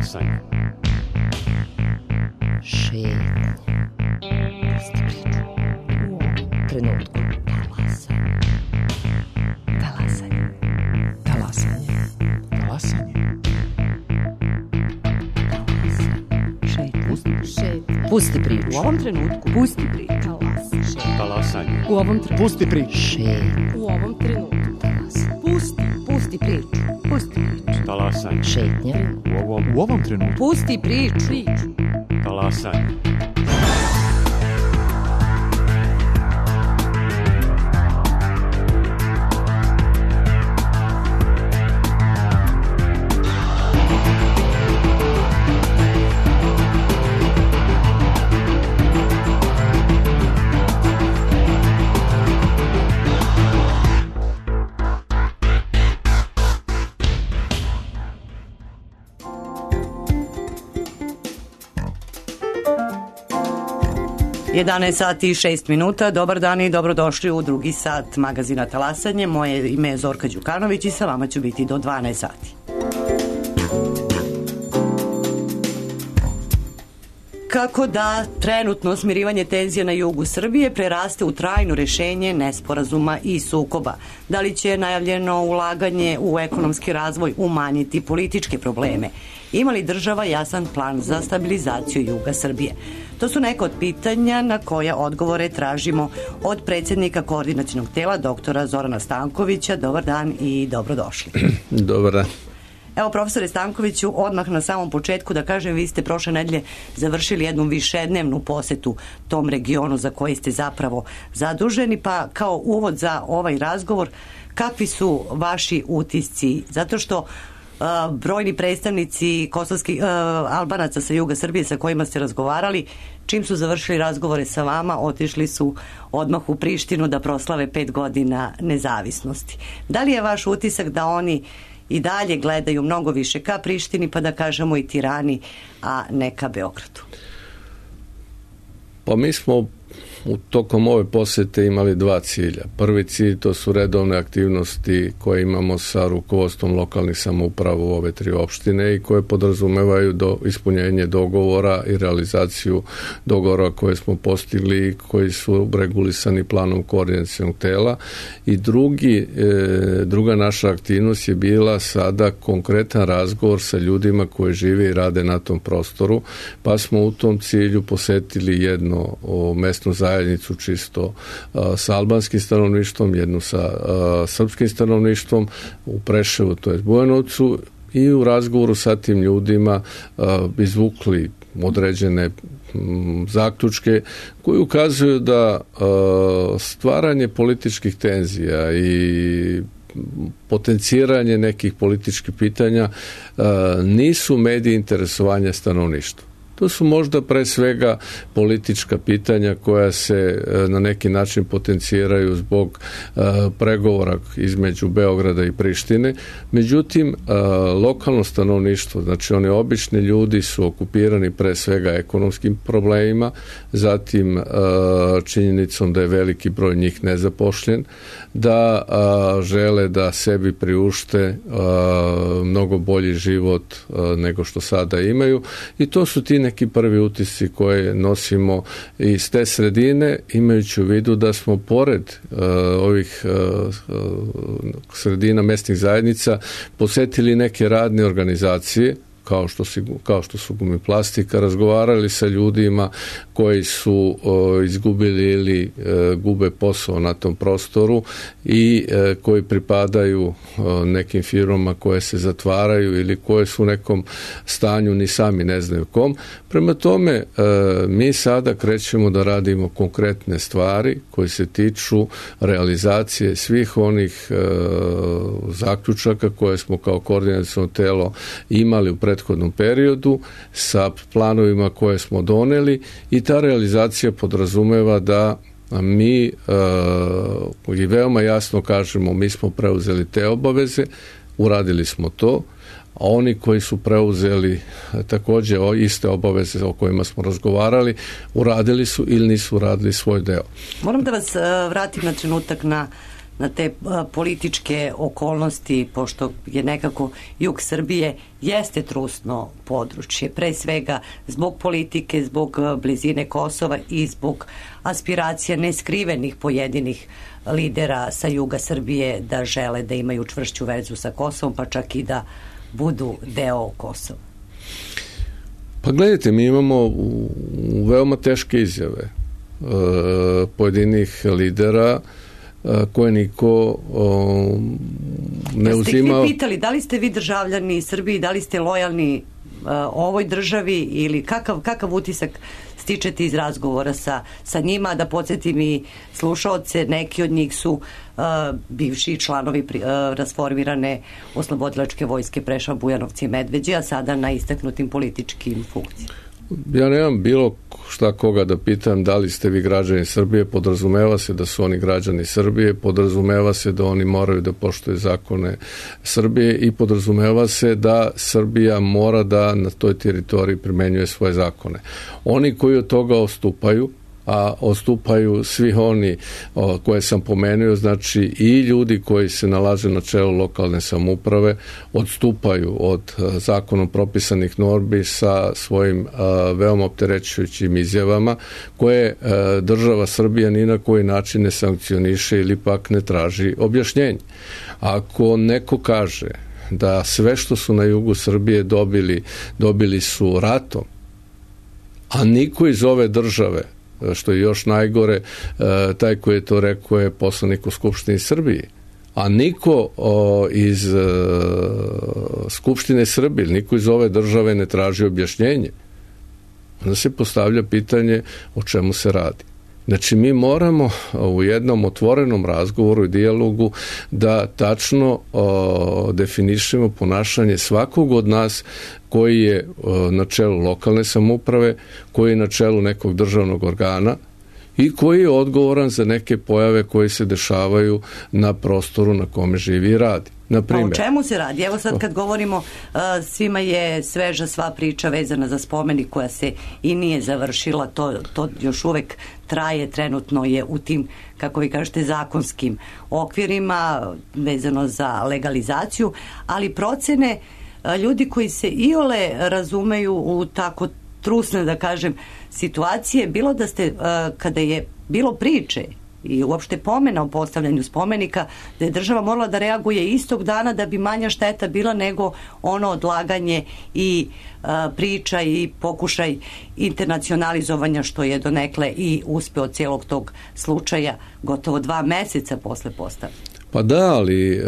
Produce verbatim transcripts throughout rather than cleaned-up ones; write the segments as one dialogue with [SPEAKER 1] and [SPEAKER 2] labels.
[SPEAKER 1] Talasanje.
[SPEAKER 2] Šetnja. Pusti priču. U ovom trenutku. Talasanje. Talasanje. Talasanje.
[SPEAKER 3] Talasanje.
[SPEAKER 2] Šetnja.
[SPEAKER 4] Šetnja.
[SPEAKER 2] Pusti priču.
[SPEAKER 4] U ovom trenutku.
[SPEAKER 2] Pusti priču.
[SPEAKER 4] Talasanje.
[SPEAKER 1] Talasanje.
[SPEAKER 4] U ovom trenutku.
[SPEAKER 3] Pusti priču.
[SPEAKER 2] Šetnja.
[SPEAKER 4] U ovom trenutku.
[SPEAKER 2] Talasanje.
[SPEAKER 4] Pusti.
[SPEAKER 2] Pusti priču. Pusti priču.
[SPEAKER 1] Talasanje.
[SPEAKER 2] Šetnja.
[SPEAKER 1] U ovom
[SPEAKER 3] U ovom trenutku.
[SPEAKER 4] Pusti priču. Priču.
[SPEAKER 1] talasanje.
[SPEAKER 5] jedanaest sati i šest minuta, dobar dan i dobrodošli u drugi sat magazina Talasanje. Moje ime je Zorka Đukanović i sa vama ću biti do dvanaest sati. Kako da trenutno smirivanje tenzija na jugu Srbije preraste u trajno rešenje nesporazuma i sukoba? Da li će najavljeno ulaganje u ekonomski razvoj umanjiti političke probleme? Ima li država jasan plan za stabilizaciju juga Srbije? To su neka od pitanja na koja odgovore tražimo od predsjednika koordinacionog tela doktora Zorana Stankovića. Dobar dan i dobrodošli.
[SPEAKER 6] Dobar dan.
[SPEAKER 5] Evo, profesore Stankoviću, odmah na samom početku da kažem, vi ste prošle nedelje završili jednu višednevnu posetu tom regionu za koji ste zapravo zaduženi, pa kao uvod za ovaj razgovor, kakvi su vaši utisci? Zato što uh, brojni predstavnici kosovskih uh, Albanaca sa juga Srbije sa kojima ste razgovarali, čim su završili razgovore sa vama, otišli su odmah u Prištinu da proslave pet godina nezavisnosti. Da li je vaš utisak da oni i dalje gledaju mnogo više ka Prištini, pa da kažemo i Tirani, a ne ka Beogradu?
[SPEAKER 6] Pa mi smo u tokom ove posete imali dva cilja. Prvi cilj, to su redovne aktivnosti koje imamo sa rukovodstvom lokalnih samouprava u ove tri opštine i koje podrazumevaju do ispunjenje dogovora i realizaciju dogovora koje smo postigli i koji su regulisani planom koordinacionog tela. I drugi, e, druga naša aktivnost je bila sada konkretan razgovor sa ljudima koji žive i rade na tom prostoru, pa smo u tom cilju posetili jedno o, mesnu zajednicu zajednicu čisto a, sa albanskim stanovništvom, jednu sa a, srpskim stanovništvom u Preševu, to je Bujanovcu, i u razgovoru sa tim ljudima a, izvukli određene m, zaključke koji ukazuju da a, stvaranje političkih tenzija i potenciranje nekih političkih pitanja a, nisu mediji interesovanja stanovništva. To su možda pre svega politička pitanja koja se na neki način potenciraju zbog uh, pregovora između Beograda i Prištine. Međutim, uh, lokalno stanovništvo, znači oni obični ljudi su okupirani pre svega ekonomskim problemima, zatim uh, činjenicom da je veliki broj njih nezapošljen, da uh, žele da sebi priušte uh, mnogo bolji život uh, nego što sada imaju, i to su ti neki prvi utisci koje nosimo iz te sredine, imajući u vidu da smo pored uh, ovih uh, sredina mesnih zajednica posetili neke radne organizacije kao što, si, kao što su Gumiplastika, razgovarali sa ljudima koji su o, izgubili ili e, gube posao na tom prostoru i e, koji pripadaju o, nekim firmama koje se zatvaraju ili koje su u nekom stanju ni sami ne znaju kom. Prema tome, e, mi sada krećemo da radimo konkretne stvari koje se tiču realizacije svih onih e, zaključaka koje smo kao koordinaciono telo imali u prethodnom periodu sa planovima koje smo doneli, i ta realizacija podrazumeva da mi uh, i veoma jasno kažemo, mi smo preuzeli te obaveze, uradili smo to, a oni koji su preuzeli također iste obaveze o kojima smo razgovarali, uradili su ili nisu uradili svoj deo.
[SPEAKER 5] Moram da vas uh, vratim na trenutak na na te a, političke okolnosti, pošto je nekako jug Srbije jeste trusno područje, pre svega zbog politike, zbog a, blizine Kosova i zbog aspiracija neskrivenih pojedinih lidera sa juga Srbije da žele da imaju čvršću vezu sa Kosovom, pa čak i da budu deo Kosova.
[SPEAKER 6] Pa gledajte, mi imamo u, u veoma teške izjave e, pojedinih lidera e, koje niko o, ne
[SPEAKER 5] Jeste
[SPEAKER 6] uzima.
[SPEAKER 5] Jeste ih vi pitali da li ste vi državljani Srbiji, da li ste lojalni uh, ovoj državi ili kakav, kakav utisak stičete iz razgovora sa, sa njima, da podsjetim i slušaoce, neki od njih su uh, bivši članovi pri, uh, rasformirane oslobodilačke vojske Preševa, Bujanovci i Medveđe, a sada na istaknutim političkim funkcijama.
[SPEAKER 6] Ja nemam bilo šta koga da pitam da li ste vi građani Srbije, podrazumeva se da su oni građani Srbije, podrazumeva se da oni moraju da poštuju zakone Srbije i podrazumeva se da Srbija mora da na toj teritoriji primenjuje svoje zakone. Oni koji od toga odstupaju, a odstupaju svi oni o, koje sam pomenuo, znači i ljudi koji se nalaze na čelu lokalne samouprave odstupaju od a, zakonom propisanih normi sa svojim a, veoma opterećujućim izjavama koje a, država Srbija ni na koji način ne sankcioniše ili pak ne traži objašnjenje. Ako neko kaže da sve što su na jugu Srbije dobili, dobili su ratom, a niko iz ove države, što je još najgore, taj koji je to rekao je poslanik u Skupštini Srbije, a niko o, iz e, Skupštine Srbije, niko iz ove države ne traži objašnjenje, onda se postavlja pitanje o čemu se radi. Znači, mi moramo u jednom otvorenom razgovoru i dijalogu da tačno o, definišemo ponašanje svakog od nas koji je o, na čelu lokalne samouprave, koji je na čelu nekog državnog organa i koji je odgovoran za neke pojave koje se dešavaju na prostoru na kome živi i radi.
[SPEAKER 5] Pa o čemu se radi? Evo sad kad govorimo, uh, svima je sveža sva priča vezana za spomenik koja se i nije završila, to, to još uvek traje, trenutno je u tim, kako vi kažete, zakonskim okvirima vezano za legalizaciju, ali procene uh, ljudi koji se iole razumeju u tako trusne, da kažem, situacije, bilo da ste, uh, kada je bilo priče i uopšte pomena o postavljanju spomenika, da je država morala da reaguje istog dana da bi manja šteta bila nego ono odlaganje i a, priča i pokušaj internacionalizovanja, što je donekle i uspeo cijelog tog slučaja gotovo dva meseca posle postavljanja.
[SPEAKER 6] Pa da, ali e,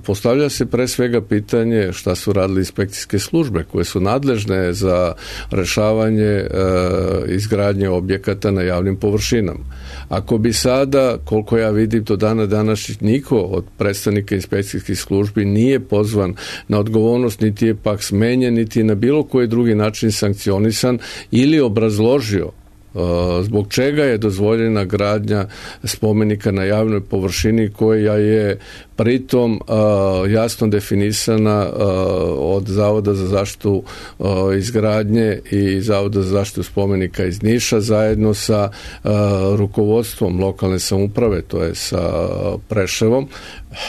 [SPEAKER 6] postavlja se pre svega pitanje šta su radili inspekcijske službe koje su nadležne za rešavanje e, izgradnje objekata na javnim površinama. Ako bi sada, koliko ja vidim, do dana današnjih niko od predstavnika inspekcijskih službi nije pozvan na odgovornost, niti je pak smenjen, niti je na bilo koji drugi način sankcionisan ili obrazložio zbog čega je dozvoljena gradnja spomenika na javnoj površini koja je pritom uh, jasno definisana uh, od Zavoda za zaštitu uh, izgradnje i Zavoda za zaštitu spomenika iz Niša zajedno sa uh, rukovodstvom lokalne samouprave, to je sa Preševom.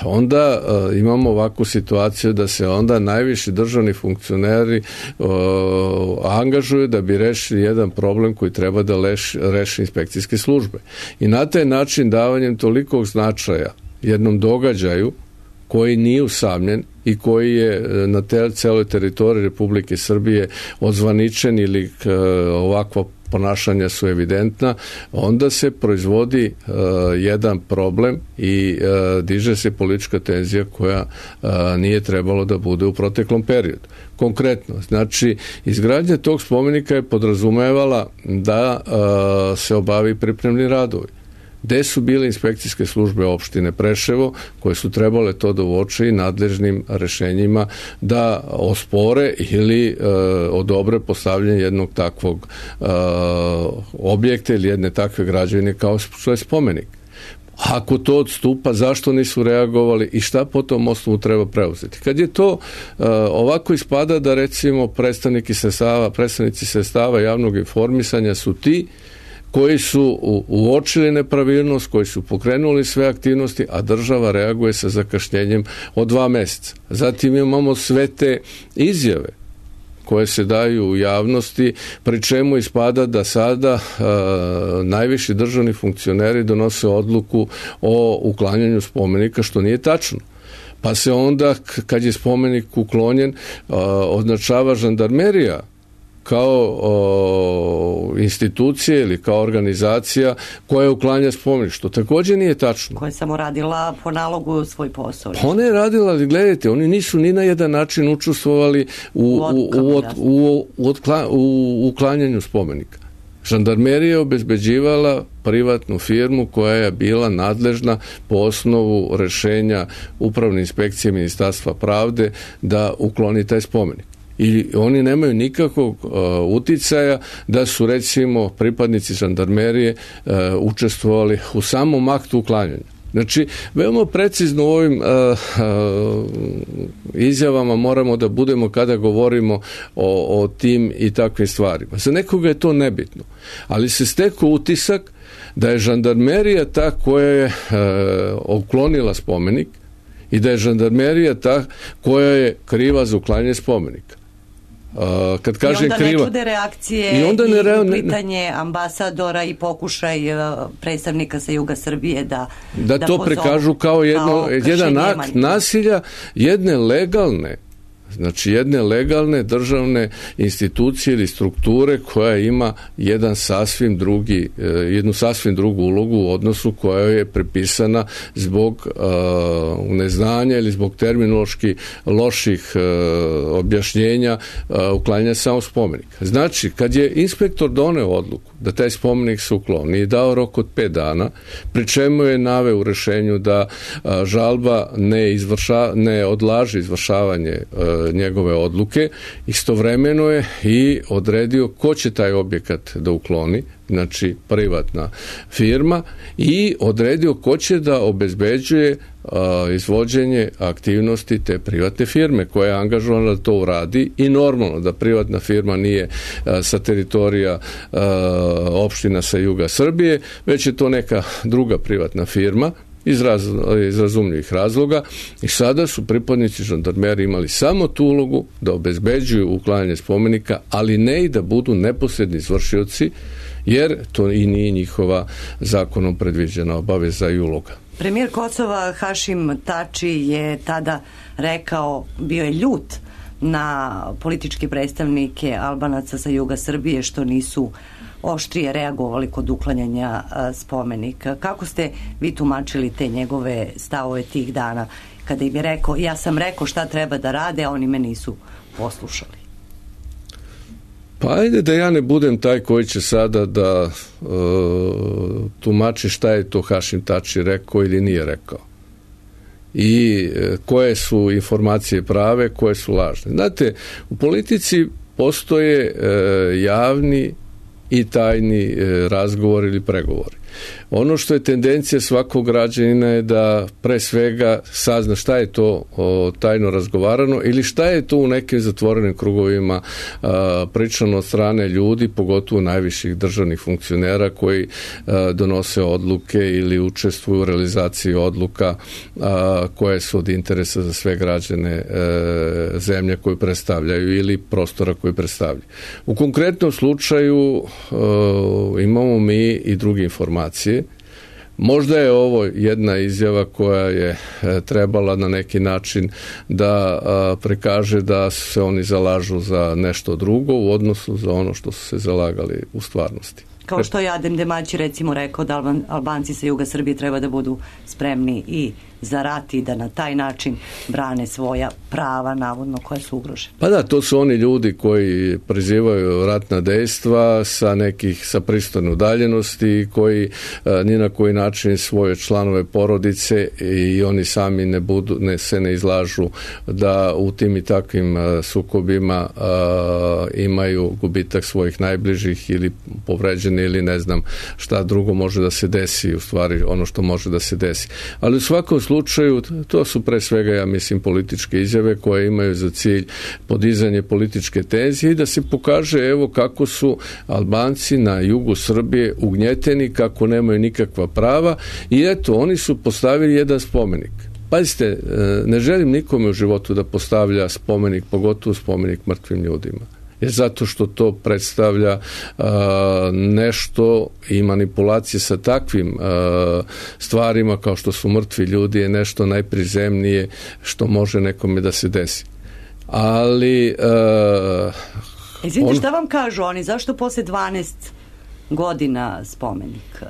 [SPEAKER 6] Onda uh, imamo ovakvu situaciju da se onda najviši državni funkcioneri uh, angažuju da bi rešili jedan problem koji treba da leš, reši inspekcijske službe. I na taj način davanjem tolikog značaja jednom događaju koji nije usamljen i koji je na te, celoj teritoriji Republike Srbije odzvaničen ili k, ovakva ponašanja su evidentna, onda se proizvodi uh, jedan problem i uh, diže se politička tenzija koja uh, nije trebalo da bude u proteklom periodu. Konkretno, znači, izgradnja tog spomenika je podrazumevala da uh, se obavi pripremni radovi. Gde su bile inspekcijske službe opštine Preševo koje su trebale to da uoče i nadležnim rešenjima da ospore ili e, odobre postavljanje jednog takvog e, objekta ili jedne takve građevine kao što je spomenik. Ako to odstupa, zašto nisu reagovali i šta po tom osnovu treba preuzeti? Kad je to uh, ovako ispada da recimo predstavnici sredstava, predstavnici sredstava javnog informisanja su ti koji su uočili nepravilnost, koji su pokrenuli sve aktivnosti, a država reaguje sa zakašnjenjem od dva mjeseca. Zatim imamo sve te izjave koje se daju u javnosti, pri čemu ispada da sada e, najviši državni funkcioneri donose odluku o uklanjanju spomenika, što nije tačno. Pa se onda, kad je spomenik uklonjen, e, označava žandarmerija kao o, institucije ili kao organizacija koja uklanja spomenik, što također nije tačno.
[SPEAKER 5] Koja je samo radila po nalogu svoj posao.
[SPEAKER 6] Pa ona je radila, ali gledajte, oni nisu ni na jedan način učestvovali u, u, u, u, u, u, otkla, u uklanjanju spomenika. Žandarmerija je obezbeđivala privatnu firmu koja je bila nadležna po osnovu rješenja Upravne inspekcije Ministarstva pravde da ukloni taj spomenik. I oni nemaju nikakvog uh, uticaja da su, recimo, pripadnici žandarmerije uh, učestvovali u samom aktu uklanjanja. Znači, veoma precizno u ovim uh, uh, izjavama moramo da budemo kada govorimo o, o tim i takvim stvarima. Za nekoga je to nebitno, ali se stekao utisak da je žandarmerija ta koja je uh, uklonila spomenik i da je žandarmerija ta koja je kriva za uklanjanje spomenika. Uh, kad kažem
[SPEAKER 5] I onda
[SPEAKER 6] kriva,
[SPEAKER 5] ne čude reakcije
[SPEAKER 6] i, onda ne,
[SPEAKER 5] i
[SPEAKER 6] ne,
[SPEAKER 5] uplitanje ambasadora i pokušaj uh, predstavnika sa juga Srbije da
[SPEAKER 6] da,
[SPEAKER 5] da
[SPEAKER 6] to
[SPEAKER 5] pozovu
[SPEAKER 6] prikažu kao, jedno,
[SPEAKER 5] kao
[SPEAKER 6] jedan akt nasilja jedne legalne, znači jedne legalne državne institucije ili strukture koja ima jedan sasvim drugi, jednu sasvim drugu ulogu u odnosu koja je prepisana zbog uh, neznanja ili zbog terminološki loših uh, objašnjenja uh, uklanjanja samog spomenika. Znači, kad je inspektor doneo odluku da taj spomenik se ukloni i dao rok od pet dana, pri čemu je naveo u rješenju da uh, žalba ne, izvrša, ne odlaže izvršavanje uh, njegove odluke, istovremeno je i odredio ko će taj objekat da ukloni, znači privatna firma, i odredio ko će da obezbeđuje a, izvođenje aktivnosti te privatne firme koja je angažovana da to uradi, i normalno da privatna firma nije a, sa teritorija a, opština sa juga Srbije, već je to neka druga privatna firma iz, raz, iz razumljivih razloga, i sada su pripadnici žandarmerije imali samo tu ulogu da obezbeđuju uklanjanje spomenika, ali ne i da budu neposredni izvršioci, jer to i nije njihova zakonom predviđena obaveza i uloga.
[SPEAKER 5] Premijer Kosova Hašim Tači je tada rekao, bio je ljut na političke predstavnike Albanaca sa juga Srbije što nisu oštrije reagovali kod uklanjanja spomenika. Kako ste vi tumačili te njegove stavove tih dana kada im je rekao, ja sam rekao šta treba da rade, a oni me nisu poslušali?
[SPEAKER 6] Pa ajde da ja ne budem taj koji će sada da uh, tumači šta je to Hašim Tači rekao ili nije rekao. I uh, koje su informacije prave, koje su lažne. Znate, u politici postoje uh, javni i tajni uh, razgovor ili pregovori. Ono što je tendencija svakog građanina je da pre svega sazna šta je to o, tajno razgovarano ili šta je to u nekim zatvorenim krugovima a, pričano od strane ljudi, pogotovo najviših državnih funkcionera koji a, donose odluke ili učestvuju u realizaciji odluka a, koje su od interesa za sve građane a, zemlje koju predstavljaju ili prostora koji predstavljaju. U konkretnom slučaju a, imamo mi i druge informacije. Možda je ovo jedna izjava koja je trebala na neki način da prikaže da se oni zalažu za nešto drugo u odnosu za ono što su se zalagali u stvarnosti.
[SPEAKER 5] Kao što je Adem Demaći recimo rekao da Alban, Albanci sa juga Srbije treba da budu spremni i za rat i da na taj način brane svoja prava, navodno, koja su ugrožene.
[SPEAKER 6] Pa da, to su oni ljudi koji prizivaju ratna dejstva sa nekih, sa pristojne udaljenosti, koji a, ni na koji način svoje članove porodice i oni sami ne budu, ne, se ne izlažu da u tim i takvim a, sukobima a, imaju gubitak svojih najbližih ili povređeni ili ne znam šta drugo može da se desi, u stvari ono što može da se desi. Ali u svakom slučaju to su pre svega, ja mislim, političke izjave koje imaju za cilj podizanje političke tenzije i da se pokaže evo kako su Albanci na jugu Srbije ugnjeteni, kako nemaju nikakva prava i eto, oni su postavili jedan spomenik. Pazite, ne želim nikome u životu da postavlja spomenik, pogotovo spomenik mrtvim ljudima. Jer zato što to predstavlja uh, nešto i manipulacije sa takvim uh, stvarima kao što su mrtvi ljudi je nešto najprizemnije što može nekome da se desi. Ali uh,
[SPEAKER 5] Izvinite,
[SPEAKER 6] on...
[SPEAKER 5] šta vam kažu oni? Zašto posle dvanaest godina spomenik?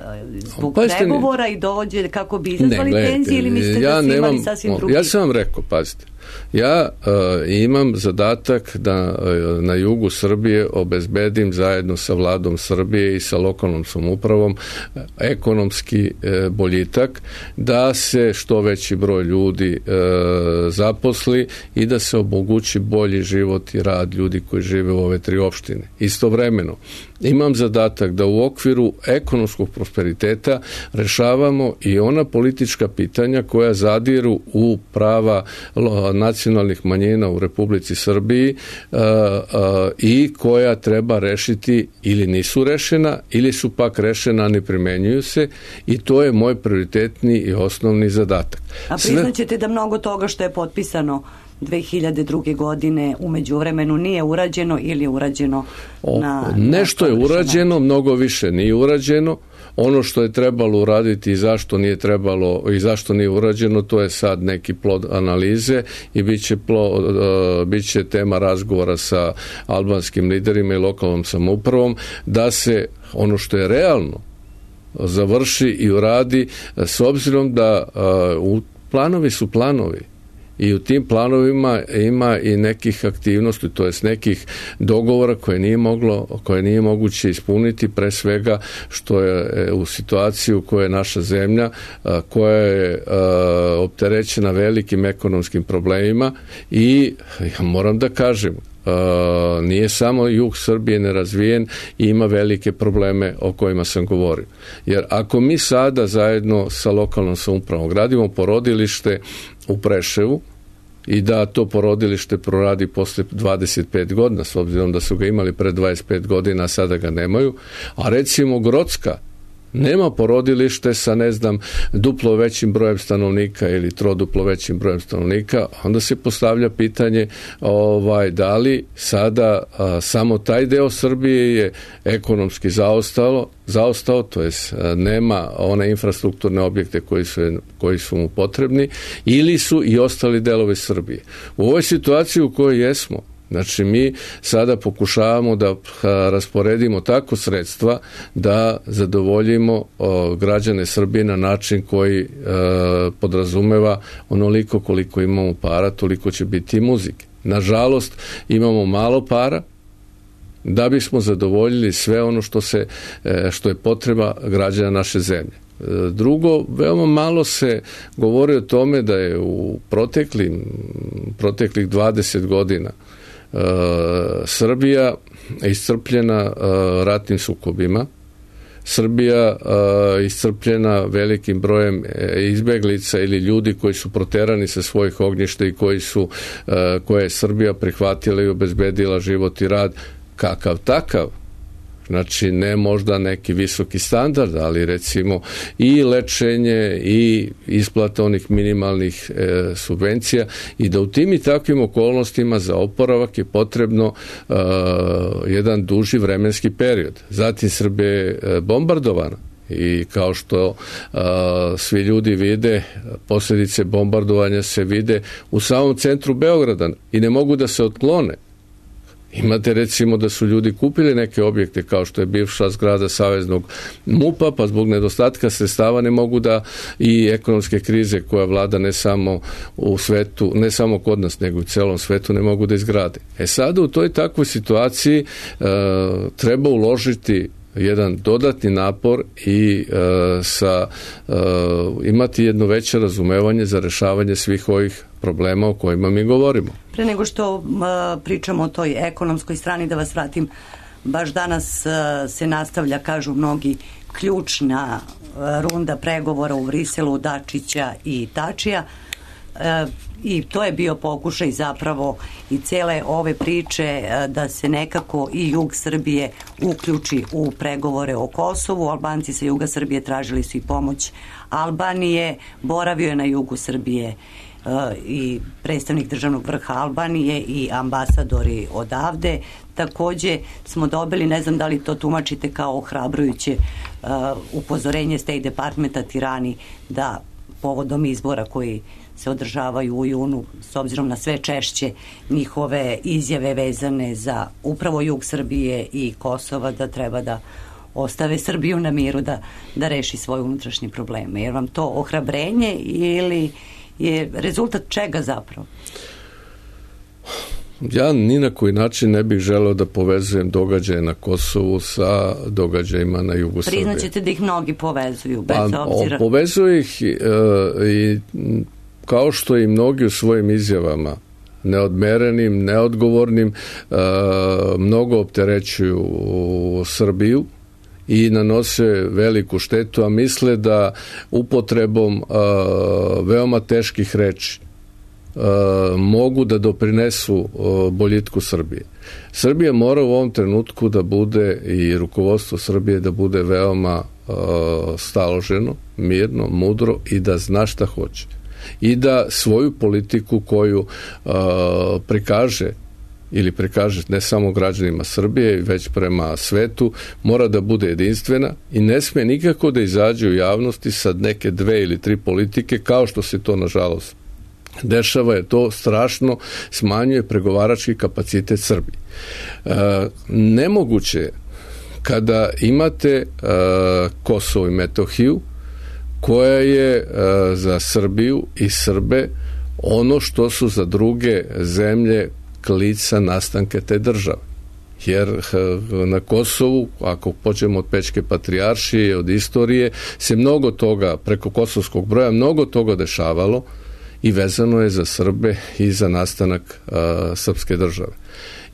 [SPEAKER 5] Zbog
[SPEAKER 6] pa
[SPEAKER 5] pregovora i dođe kako bi izazvali tenzije ili mislite
[SPEAKER 6] ja
[SPEAKER 5] da su
[SPEAKER 6] nemam,
[SPEAKER 5] imali sasvim drugi?
[SPEAKER 6] Ja sam vam rekao, pazite, ja uh, imam zadatak da uh, na jugu Srbije obezbedim zajedno sa vladom Srbije i sa lokalnom samoupravom uh, ekonomski uh, boljitak, da se što veći broj ljudi uh, zaposli i da se omogući bolji život i rad ljudi koji žive u ove tri opštine. Istovremeno, imam zadatak da u okviru ekonomskog prosperiteta rešavamo i ona politička pitanja koja zadiru u prava nacionalnih manjina u Republici Srbiji uh, uh, i koja treba rešiti ili nisu rešena ili su pak rešena, a ne primenjuju se i to je moj prioritetni i osnovni zadatak.
[SPEAKER 5] A priznaćete da mnogo toga što je potpisano dve hiljade druge. godine u međuvremenu nije urađeno ili je urađeno na...
[SPEAKER 6] O, nešto na je urađeno, način. Mnogo više nije urađeno. Ono što je trebalo uraditi i zašto nije trebalo i zašto nije urađeno, to je sad neki plod analize i bit će, plod, uh, bit će tema razgovora sa albanskim liderima i lokalnom samoupravom da se ono što je realno završi i uradi s obzirom da uh, planovi su planovi. I u tim planovima ima i nekih aktivnosti, to jest nekih dogovora koje nije moglo, koje nije moguće ispuniti, pre svega što je u situaciji u kojoj je naša zemlja, koja je opterećena velikim ekonomskim problemima i ja moram da kažem, Uh, nije samo jug Srbije nerazvijen i ima velike probleme o kojima sam govorio. Jer ako mi sada zajedno sa lokalnom samoupravom gradimo porodilište u Preševu i da to porodilište proradi posle dvadeset pet godina, s obzirom da su ga imali pre dvadeset pet godina, a sada ga nemaju, a recimo Grocka nema porodilište sa, ne znam, duplo većim brojem stanovnika ili troduplo većim brojem stanovnika, onda se postavlja pitanje ovaj, da li sada a, samo taj deo Srbije je ekonomski zaostalo, zaostao, to jest a, nema one infrastrukturne objekte koji su, koji su mu potrebni, ili su i ostali delovi Srbije. U ovoj situaciji u kojoj jesmo, znači mi sada pokušavamo da rasporedimo tako sredstva da zadovoljimo o, građane Srbije na način koji e, podrazumeva onoliko koliko imamo para, toliko će biti i muzike. Nažalost, imamo malo para da bismo zadovoljili sve ono što, se, e, što je potreba građana naše zemlje. Drugo, veoma malo se govori o tome da je u proteklim, proteklih dvadeset godina Uh, Srbija iscrpljena uh, ratnim sukobima, Srbija uh, iscrpljena velikim brojem izbeglica ili ljudi koji su proterani sa svojih ognjišta i koji su, uh, koje je Srbija prihvatila i obezbedila život i rad kakav takav. Znači, ne možda neki visoki standard, ali recimo i lečenje i isplata onih minimalnih e, subvencija i da u tim i takvim okolnostima za oporavak je potrebno e, jedan duži vremenski period. Zatim Srbija je bombardovana i kao što a, svi ljudi vide, posljedice bombardovanja se vide u samom centru Beograda i ne mogu da se otklone. Imate recimo da su ljudi kupili neke objekte kao što je bivša zgrada Saveznog MUP-a, pa zbog nedostatka sredstava ne mogu da i ekonomske krize koja vlada ne samo u svetu, ne samo kod nas, nego u celom svetu ne mogu da izgrade. E sada u toj takvoj situaciji e, treba uložiti jedan dodatni napor i e, sa e, imati jedno veće razumevanje za rešavanje svih ovih problema o kojima mi govorimo.
[SPEAKER 5] Pre nego što uh, pričamo o toj ekonomskoj strani, da vas vratim, baš danas uh, se nastavlja, kažu mnogi, ključna runda pregovora u Briselu Dačića i Tačija. E, i to je bio pokušaj zapravo i cele ove priče da se nekako i jug Srbije uključi u pregovore o Kosovu. Albanci sa juga Srbije tražili su i pomoć Albanije, boravio je na jugu Srbije i predstavnik državnog vrha Albanije i ambasadori odavde. Takođe smo dobili, ne znam da li to tumačite kao ohrabrujuće uh, upozorenje State Departmenta Tirani da povodom izbora koji se održavaju u junu, s obzirom na sve češće njihove izjave vezane za upravo jug Srbije i Kosova, da treba da ostave Srbiju na miru da, da reši svoje unutrašnje probleme. Jer vam to ohrabrenje ili je rezultat čega zapravo?
[SPEAKER 6] Ja ni na koji način ne bih želeo da povezujem događaje na Kosovu sa događajima na jugu Srbije.
[SPEAKER 5] Priznaćete da ih mnogi povezuju, bez
[SPEAKER 6] pa,
[SPEAKER 5] obzira...
[SPEAKER 6] Povezuju ih e, i kao što i mnogi u svojim izjavama neodmerenim, neodgovornim e, mnogo opterećuju Srbiju i nanose veliku štetu, a misle da upotrebom uh, veoma teških reči uh, mogu da doprinesu uh, boljitku Srbije. Srbija mora u ovom trenutku da bude, i rukovodstvo Srbije da bude veoma uh, staloženo, mirno, mudro i da zna šta hoće. I da svoju politiku koju uh, prikaže ili prikaže ne samo građanima Srbije, već prema svetu, mora da bude jedinstvena i ne sme nikako da izađe u javnosti sa neke dve ili tri politike, kao što se to nažalost dešava, je to strašno smanjuje pregovarački kapacitet Srbije. E, nemoguće je kada imate e, Kosovo i Metohiju, koja je e, za Srbiju i Srbe ono što su za druge zemlje klica nastanke te države. Jer na Kosovu, ako počnemo od Pečke patrijaršije, od istorije, se mnogo toga, preko kosovskog broja, mnogo toga dešavalo i vezano je za Srbe i za nastanak a, srpske države.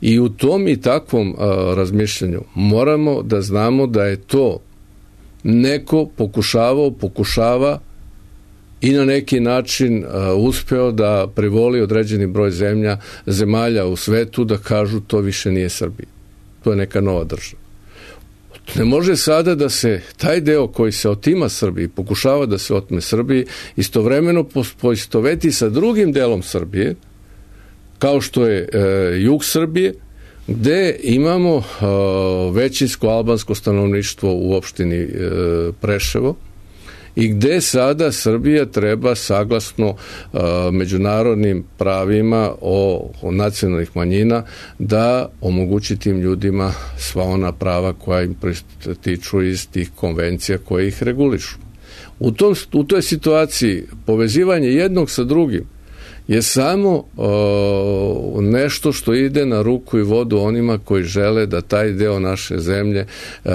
[SPEAKER 6] I u tom i takvom a, razmišljanju moramo da znamo da je to neko pokušavao, pokušava i na neki način uh, uspeo da privoli određeni broj zemlja, zemalja u svetu da kažu to više nije Srbija. To je neka nova država. Ne može sada da se taj deo koji se otima Srbiji, pokušava da se otme Srbiji, istovremeno poistoveti sa drugim delom Srbije, kao što je uh, jug Srbije, gde imamo uh, većinsko albansko stanovništvo u opštini uh, Preševo, i gde sada Srbija treba saglasno uh, međunarodnim pravima o, o nacionalnih manjina da omogući tim ljudima sva ona prava koja im tiču iz tih konvencija koje ih regulišu. U, tom, u toj situaciji povezivanje jednog sa drugim je samo o, nešto što ide na ruku i vodu onima koji žele da taj deo naše zemlje e,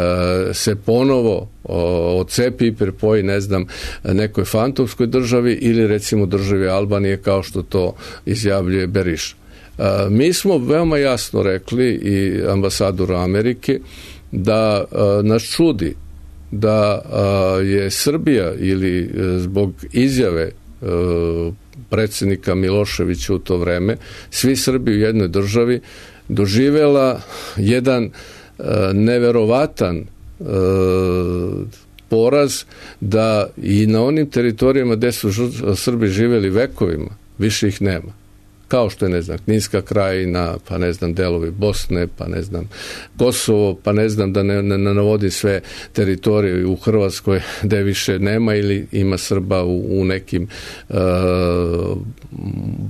[SPEAKER 6] se ponovo o, odcepi i prepoji, ne znam, nekoj fantomskoj državi ili recimo državi Albanije, kao što to izjavljuje Beriša. E, mi smo veoma jasno rekli i ambasadoru Amerike da e, nas čudi da e, je Srbija ili e, zbog izjave e, predsjednika Miloševića u to vreme, svi Srbi u jednoj državi doživela jedan e, neverovatan e, poraz da i na onim teritorijama gde su Srbi živeli vekovima, više ih nema. Kao što je, ne znam, Kninska krajina, pa ne znam, delovi Bosne, pa ne znam, Kosovo, pa ne znam da ne, ne, ne navodim sve teritorije u Hrvatskoj gde više nema ili ima Srba u, u nekim uh,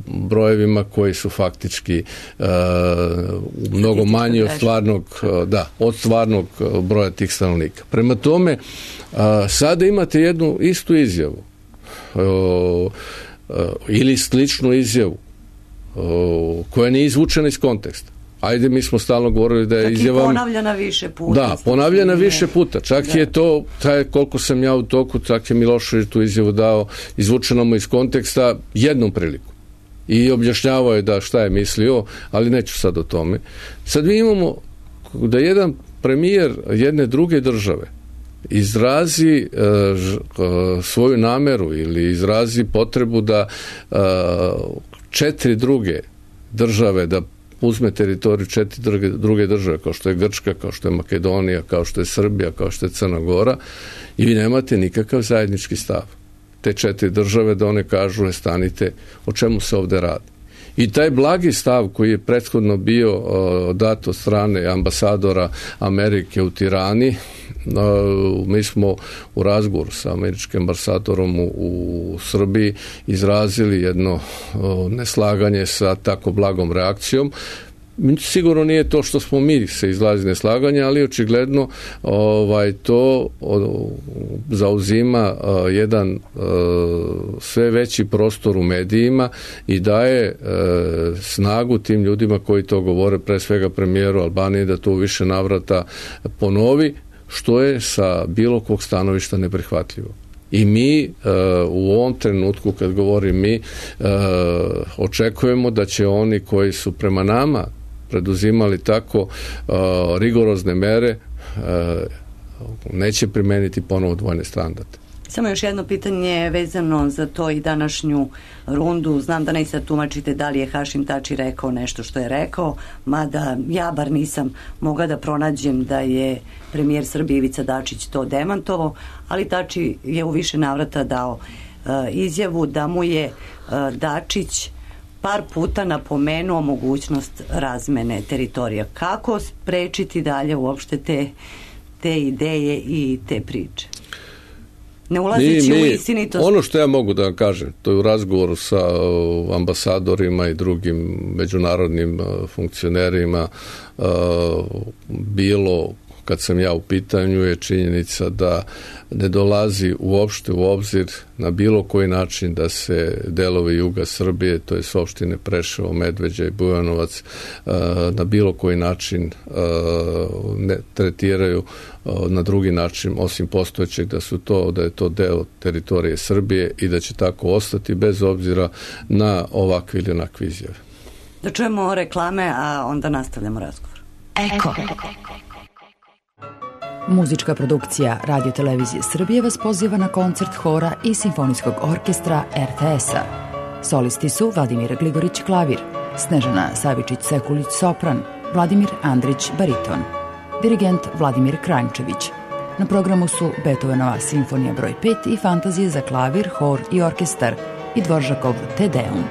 [SPEAKER 6] brojevima koji su faktički uh, mnogo manji od stvarnog, uh, da, od stvarnog broja tih stanovnika. Prema tome, uh, sada imate jednu istu izjavu uh, uh, ili sličnu izjavu O, koja nije izvučena iz konteksta. Ajde, mi smo stalno govorili da je izjava...
[SPEAKER 5] Čak i ponavljena više puta.
[SPEAKER 6] Da, ponavljena više puta. Čak da. je to, taj, koliko sam ja u toku, čak je Milošević tu izjavu dao, izvučeno mu iz konteksta jednom priliku. I objašnjavao je da šta je mislio, ali neću sad o tome. Sad mi imamo da jedan premijer jedne druge države izrazi e, ž, e, svoju nameru ili izrazi potrebu da e, četiri druge države, da uzme teritoriju četiri druge, druge države, kao što je Grčka, kao što je Makedonija, kao što je Srbija, kao što je Crna Gora, i vi nemate nikakav zajednički stav. Te četiri države da one kažu, e, stanite, o čemu se ovde radi. I taj blagi stav koji je prethodno bio uh, dat od strane ambasadora Amerike u Tirani, uh, mi smo u razgovoru sa američkim ambasadorom u, u Srbiji izrazili jedno uh, neslaganje sa tako blagom reakcijom. Sigurno nije to što smo mi se izlazi neslaganja, ali očigledno ovaj, to o, zauzima o, jedan o, sve veći prostor u medijima i daje e, snagu tim ljudima koji to govore, pre svega premijeru Albanije, da to u više navrata ponovi, što je sa bilo kog stanovišta neprihvatljivo. I mi uh, u ovom trenutku, kad govorim mi, uh, očekujemo da će oni koji su prema nama preduzimali tako uh, rigorozne mere, uh, neće primeniti ponovo dvojne standarde.
[SPEAKER 5] Samo još jedno pitanje vezano za to i današnju rundu. Znam da ne sad tumačite da li je Hašim Tači rekao nešto što je rekao, mada ja bar nisam mogla da pronađem da je premijer Srbije Ivica Dačić to demantovao, ali Tači je u više navrata dao uh, izjavu da mu je uh, Dačić par puta napomenuo mogućnost razmene teritorija. Kako sprečiti dalje uopšte te, te ideje i te priče? Ne ulazeći u istinitost.
[SPEAKER 6] Ono što ja mogu da vam kažem, to je u razgovoru sa uh, ambasadorima i drugim međunarodnim uh, funkcionerima uh, bilo kad sam ja u pitanju, je činjenica da ne dolazi uopšte u obzir na bilo koji način da se delovi juga Srbije, to je opštine Preševo, Medveđa i Bujanovac, na bilo koji način ne tretiraju na drugi način osim postojećeg, da su to, da je to deo teritorije Srbije i da će tako ostati bez obzira na ovakve ili onakve izjave.
[SPEAKER 5] Da čujemo reklame, a onda nastavljamo razgovor.
[SPEAKER 2] Eko.
[SPEAKER 1] Muzička produkcija Radio Televizije Srbije vas poziva na koncert hora i simfonijskog orkestra er te es-a. Solisti su Vladimir Gligorić klavir, Snežana Savičić-Sekulić sopran, Vladimir Andrić bariton, dirigent Vladimir Kranjčević. Na programu su Beethovenova simfonija broj pet i fantazije za klavir, hor i orkestar i Dvoržakov Te Deum.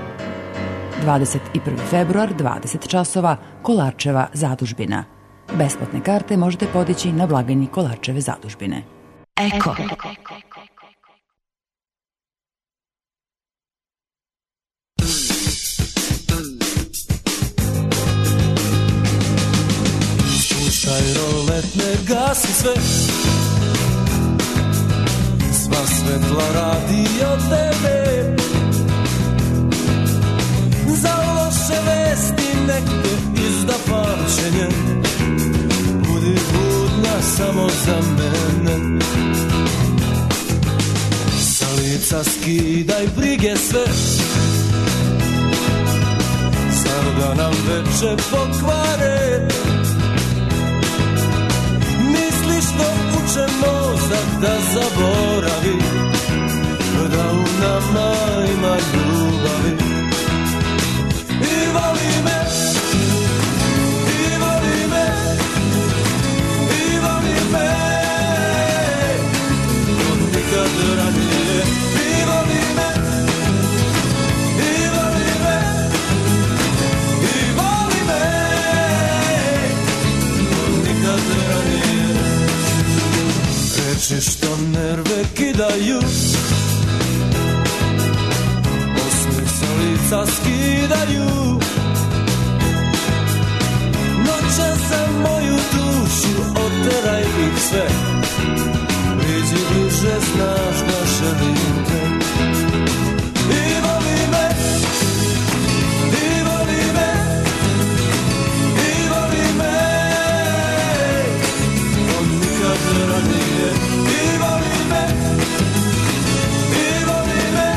[SPEAKER 1] dvadeset prvi februar, dvadeset časova, Kolarčeva zadužbina. Besplatne karte možete podići na blagajni Kolarčeve zadužbine.
[SPEAKER 2] Eko.
[SPEAKER 3] Spuštaj rolet, ne gasi sve, sva svetla radi od tebe. Za loše vesti nek te izda pamćenje, budi budna samo za mene. Sa lica skidaj brige sve, zar da nam veče pokvare. Misliš da uče mozak da zaboravi, da u nama ima ljubavi. I voli me, i voli me, i voli me, od nikad ranije. I voli me, i voli me, i voli me, od nikad ranije. Reči što nerve kidaju, lica skidaju, noće za moju dušu, oteraj ih sve. Priđi bliže, znaš da želim te. I voli me, i voli me, i voli me, od nikad ranije. I voli me, i voli me,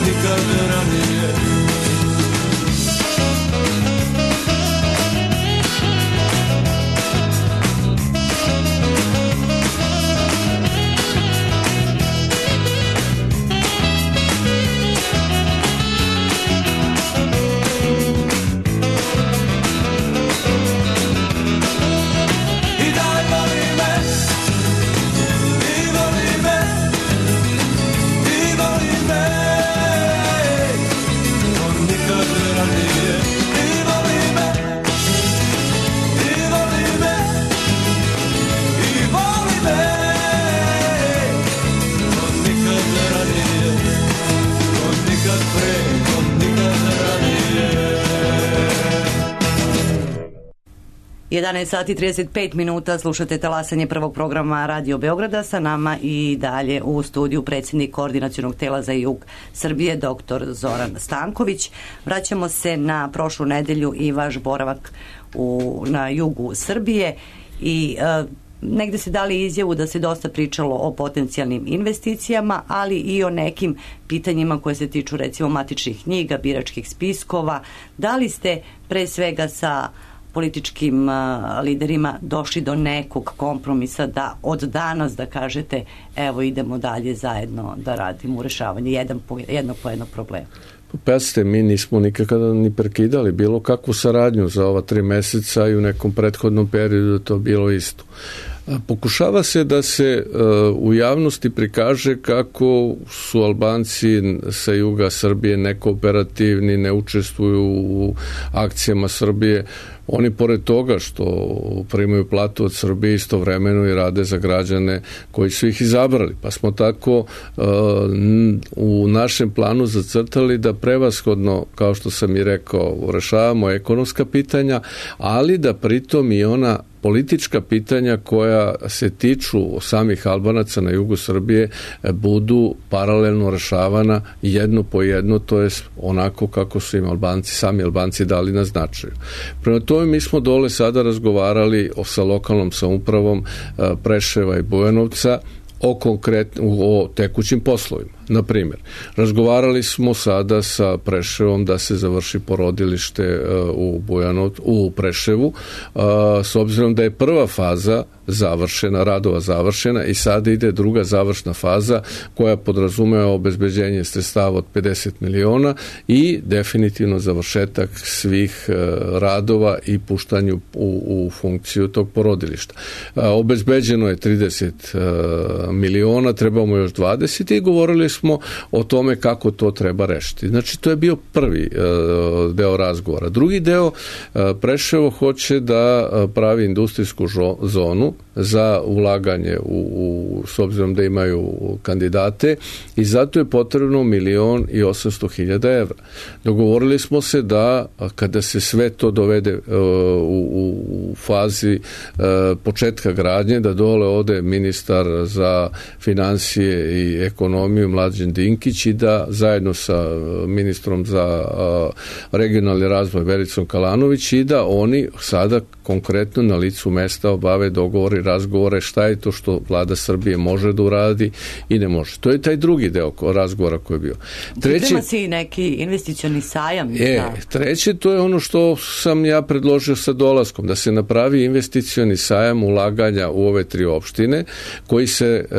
[SPEAKER 3] nikad ranije.
[SPEAKER 5] jedanaest sati i trideset pet minuta, slušate talasanje prvog programa Radio Beograda, sa nama i dalje u studiju predsjednik Koordinacionog tela za jug Srbije, doktor Zoran Stanković. Vraćamo se na prošlu nedelju i vaš boravak u, na jugu Srbije i e, negde se dali izjavu da se dosta pričalo o potencijalnim investicijama, ali i o nekim pitanjima koje se tiču recimo matičnih knjiga, biračkih spiskova. Da li ste pre svega sa političkim uh, liderima došli do nekog kompromisa da od danas da kažete evo idemo dalje zajedno da radimo u rešavanju jedan po, jednog po jednog problema?
[SPEAKER 6] Pazite, mi nismo nikada ni prekidali bilo kakvu saradnju za ova tri meseca i u nekom prethodnom periodu to bilo isto. Pokušava se da se u javnosti prikaže kako su Albanci sa juga Srbije nekooperativni, ne učestvuju u akcijama Srbije. Oni pored toga što primaju platu od Srbije istovremeno i rade za građane koji su ih izabrali. Pa smo tako uh, u našem planu zacrtali da prevashodno, kao što sam i rekao, rešavamo ekonomska pitanja, ali da pritom i ona politička pitanja koja se tiču samih Albanaca na jugu Srbije budu paralelno rešavana jedno po jedno, to je onako kako su im Albanci, sami Albanci dali na značaju. Prema tome mi smo dole sada razgovarali o, sa lokalnom samoupravom Preševa i Bujanovca o konkretno o tekućim poslovima. Na primjer, razgovarali smo sada sa Preševom da se završi porodilište u Bujanovcu, u Preševu, s obzirom da je prva faza završena, radova završena i sada ide druga završna faza koja podrazumeva obezbeđenje sredstava od pedeset miliona i definitivno završetak svih radova i puštanju u, u funkciju tog porodilišta. Obezbeđeno je trideset miliona, trebamo još dvadeset i govorili smo o tome kako to treba rešiti. Znači, to je bio prvi uh, deo razgovora. Drugi deo, uh, Preševo hoće da pravi industrijsku žo, zonu za ulaganje u, u, s obzirom da imaju kandidate i zato je potrebno milion i osamsto hiljada evra. Dogovorili smo se da kada se sve to dovede uh, u, u fazi uh, početka gradnje, da dole ode ministar za financije i ekonomiju Mlađan Dinkić i da zajedno sa ministrom za regionalni razvoj Vericom Kalanović i da oni sada konkretno na licu mesta obave dogovore i razgovore šta je to što vlada Srbije može da uradi i ne može. To je taj drugi deo razgovora koji je bio. Treći,
[SPEAKER 5] Priprema se i neki investicioni sajam.
[SPEAKER 6] E, treće, to je ono što sam ja predložio sa dolaskom, da se napravi investicioni sajam ulaganja u ove tri opštine koji se e,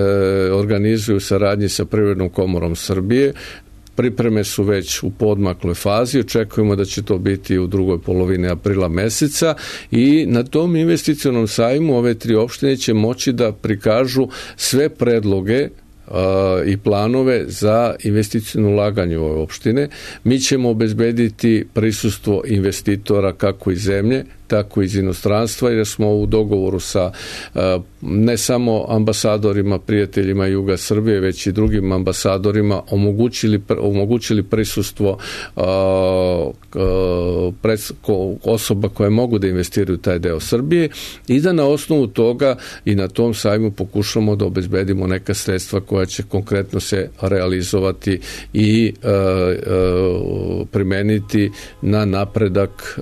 [SPEAKER 6] organizuju u saradnji sa Privrednom komorom Srbije. Pripreme su već u poodmakloj fazi, očekujemo da će to biti u drugoj polovini aprila meseca i na tom investicionom sajmu ove tri opštine će moći da prikažu sve predloge i planove za investiciono ulaganje u ove opštine. Mi ćemo obezbediti prisustvo investitora kako iz zemlje, tako iz inostranstva, jer smo u dogovoru sa ne samo ambasadorima, prijateljima Juga Srbije, već i drugim ambasadorima omogućili, omogućili prisustvo osoba koje mogu da investiraju taj deo Srbije i da na osnovu toga i na tom sajmu pokušamo da obezbedimo neka sredstva koja će konkretno se realizovati i primeniti na napredak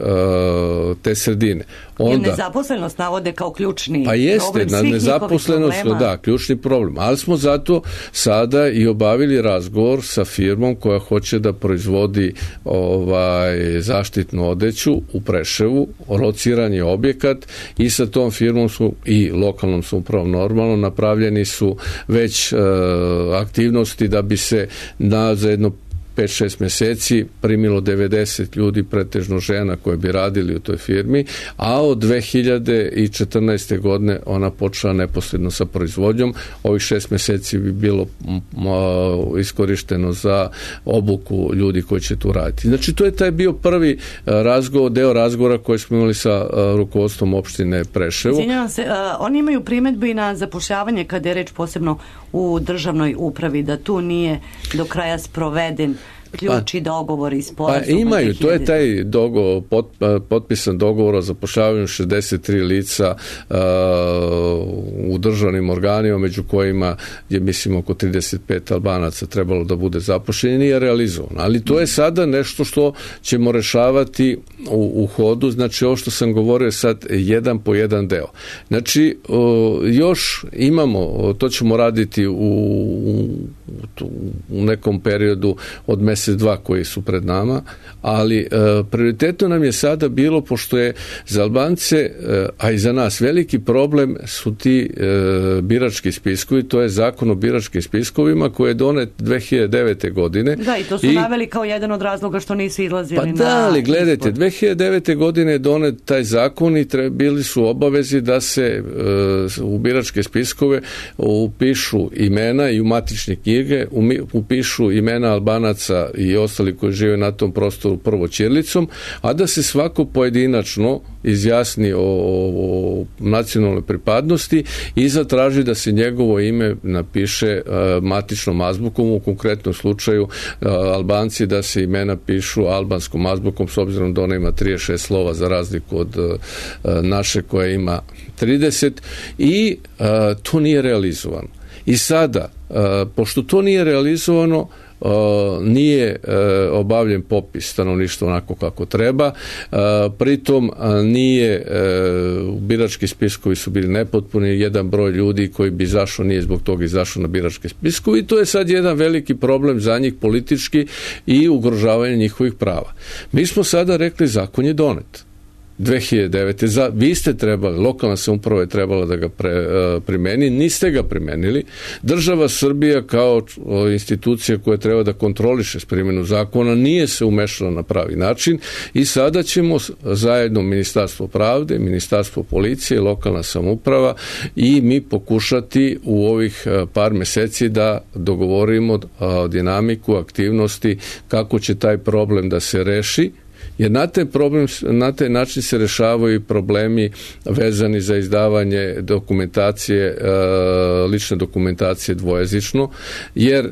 [SPEAKER 6] te sredine. Onda,
[SPEAKER 5] jer nezaposlenost navode kao ključni
[SPEAKER 6] pa jeste,
[SPEAKER 5] problem svih
[SPEAKER 6] na nezaposlenost, da, ključni problem. Ali smo zato sada i obavili razgovor sa firmom koja hoće da proizvodi ovaj, zaštitnu odeću u Preševu, lociran je objekat i sa tom firmom su i lokalnom samoupravom normalno napravljeni su već uh, aktivnosti da bi se na za jedno pet šest meseci primilo devedeset ljudi, pretežno žena koje bi radili u toj firmi, a od dve hiljade četrnaeste. godine ona počela neposredno sa proizvodnjom. Ovih šest meseci bi bilo iskorišteno za obuku ljudi koji će tu raditi. Znači, to je taj bio prvi razgovor, deo razgovora koji smo imali sa rukovodstvom opštine Preševo.
[SPEAKER 5] Izvinjavam se, uh, oni imaju primedbu i na zapošljavanje kada je reč posebno u državnoj upravi, da tu nije do kraja sproveden ključi dogovori i
[SPEAKER 6] Pa
[SPEAKER 5] sporazum.
[SPEAKER 6] imaju, to je taj dogovor, pot, potpisan dogovor o zapošljavanju šezdeset tri lica uh, u državnim organima, među kojima je, mislim, oko trideset pet Albanaca trebalo da bude zapošljeni, nije realizovano. Ali to je sada nešto što ćemo rešavati u, u hodu, znači ovo što sam govorio sad, jedan po jedan deo. Znači, uh, još imamo, to ćemo raditi u, u, u nekom periodu od mjesec dva koji su pred nama, ali e, prioritetno nam je sada bilo, pošto je za Albance, e, a i za nas veliki problem su ti e, birački spiskovi, to je zakon o biračkim spiskovima koji je donet dve hiljade devete. godine.
[SPEAKER 5] Da, i to su I, naveli kao jedan od razloga što nisu izlazili
[SPEAKER 6] pa
[SPEAKER 5] na
[SPEAKER 6] da, ali gledajte,
[SPEAKER 5] izbor.
[SPEAKER 6] dve hiljade devete. godine je donet taj zakon i tre, bili su obavezi da se e, u biračke spiskove upišu imena i u matične knjige umi, upišu imena Albanaca i ostali koji žive na tom prostoru prvo ćirilicom, a da se svako pojedinačno izjasni o, o nacionalnoj pripadnosti i zatraži da se njegovo ime napiše uh, matičnom azbukom, u konkretnom slučaju uh, Albanci da se imena pišu albanskom azbukom, s obzirom da ona ima trideset šest slova za razliku od uh, naše koja ima trideset, i uh, to nije realizovano. I sada, uh, pošto to nije realizovano, Uh, nije uh, obavljen popis stanovništva onako kako treba, uh, pritom uh, nije uh, birački spiskovi su bili nepotpuni, jedan broj ljudi koji bi izašao nije zbog toga izašao na biračke spiskove i to je sad jedan veliki problem za njih politički i ugrožavanje njihovih prava. Mi smo sada rekli zakon je donet dve hiljade devete. Za, vi ste trebali, lokalna samouprava je trebala da ga pre, uh, primeni, niste ga primenili. Država Srbija kao uh, institucija koja treba da kontroliše s primjenu zakona nije se umešala na pravi način i sada ćemo zajedno Ministarstvo pravde, Ministarstvo policije, lokalna samouprava i mi pokušati u ovih uh, par meseci da dogovorimo uh, dinamiku, aktivnosti, kako će taj problem da se reši. Jer na taj, problem, na taj način se rešavaju problemi vezani za izdavanje dokumentacije, lične dokumentacije dvojezično, jer